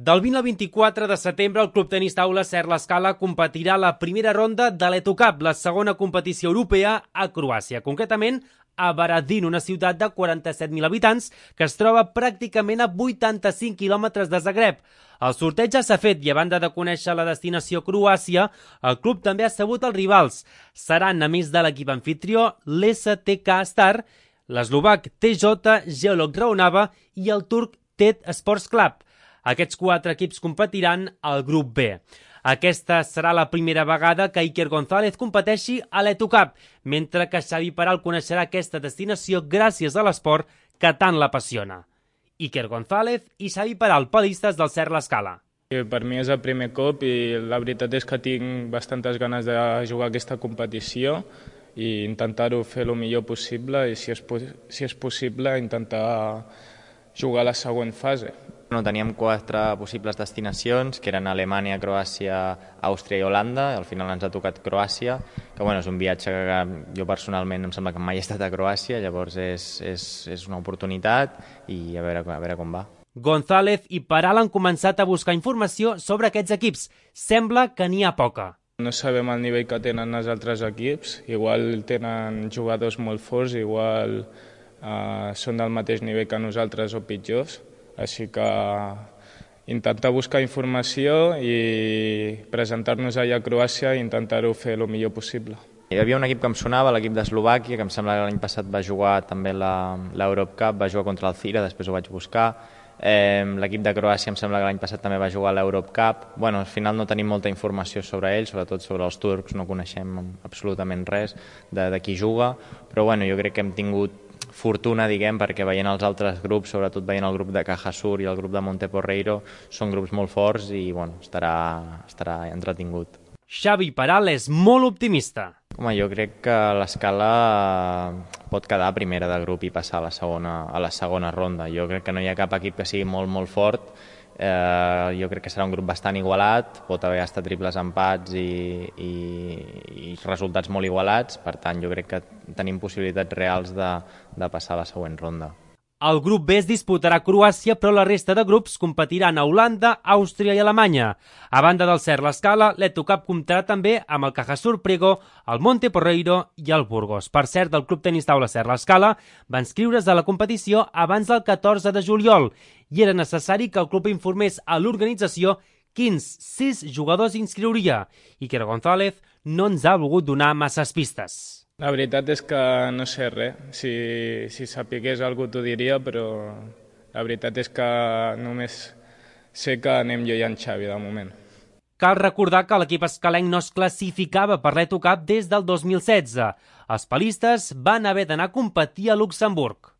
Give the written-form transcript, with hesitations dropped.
Del 20 al 24 de setembre, el Club Tenis Taula Ser l'Escala competirà a la primera ronda de l'EtoCup, la segona competició europea a Croàcia, concretament a Varadin, una ciutat de 47.000 habitants que es troba pràcticament a 85 quilòmetres de Zagreb. El sorteig ja s'ha fet i, a banda de conèixer la destinació Croàcia, el club també ha sabut els rivals. Seran, a més de l'equip anfitrió, l'STK Star, l'eslovac TJ Geolog Raonava i el turc TED Sports Club. Aquests 4 equips competiran al grup B. Aquesta serà la primera vegada que Iker González competeixi a l'EtoCup, mentre que Xavi Peral coneixerà aquesta destinació gràcies a l'esport que tant l'apassiona. Iker González i Xavi Peral, palistes del Ser l'Escala. Per mi és el primer cop i la veritat és que tinc bastantes ganes de jugar aquesta competició i intentar-ho fer el millor possible i, si és possible, intentar jugar a la següent fase. Teníem 4 possibles destinacions, que eren Alemanya, Croàcia, Àustria i Holanda. Al final ens ha tocat Croàcia, que és un viatge que jo personalment em sembla que mai he estat a Croàcia, llavors és una oportunitat i a veure com va. González i Peral han començat a buscar informació sobre aquests equips. Sembla que n'hi ha poca. No sabem el nivell que tenen els altres equips, igual tenen jugadors molt forts, igual són del mateix nivell que nosaltres o pitjors. Així que intentar buscar informació i presentar-nos allà a Croàcia i intentar-ho fer el millor possible. Hi havia un equip que em sonava, l'equip d'Eslovàquia, que em sembla que l'any passat va jugar també l'Europe Cup, va jugar contra el Cira, després ho vaig buscar. L'equip de Croàcia em sembla que l'any passat també va jugar a l'Europe Cup. Al final no tenim molta informació sobre ells, sobretot sobre els turcs, no coneixem absolutament res de qui juga, però jo crec que hem tingut fortuna, perquè veient els altres grups, sobretot veient el grup de Cajasur i el grup de Monteporreiro, són grups molt forts i estarà entretingut. Xavi Peral és molt optimista. Jo crec que l'Escala pot quedar primera de grup i passar a la segona ronda. Jo crec que no hi ha cap equip que sigui molt fort. Jo crec que serà un grup bastant igualat, pot haver estat triples empats i resultats molt igualats, per tant jo crec que tenim possibilitats reals de passar a la següent ronda. El grup B es disputarà a Croàcia, però la resta de grups competiran a Holanda, Àustria i Alemanya. A banda del Ser l'Escala, l'EtoCup comptarà també amb el Cajasur Prego, el Monteporreiro i el Burgos. Per cert, el Club Tenis Taula Ser l'Escala va inscriure's a la competició abans del 14 de juliol i era necessari que el club informés a l'organització quins 6 jugadors inscriuria. Iker González no ens ha volgut donar masses pistes. La veritat és que no sé res. Si sapigués algú t'ho diria, però la veritat és que només sé que anem jo i en Xavi de moment. Cal recordar que l'equip escalenc no es classificava per l'EtoCup des del 2016. Els palistes van haver d'anar a competir a Luxemburg.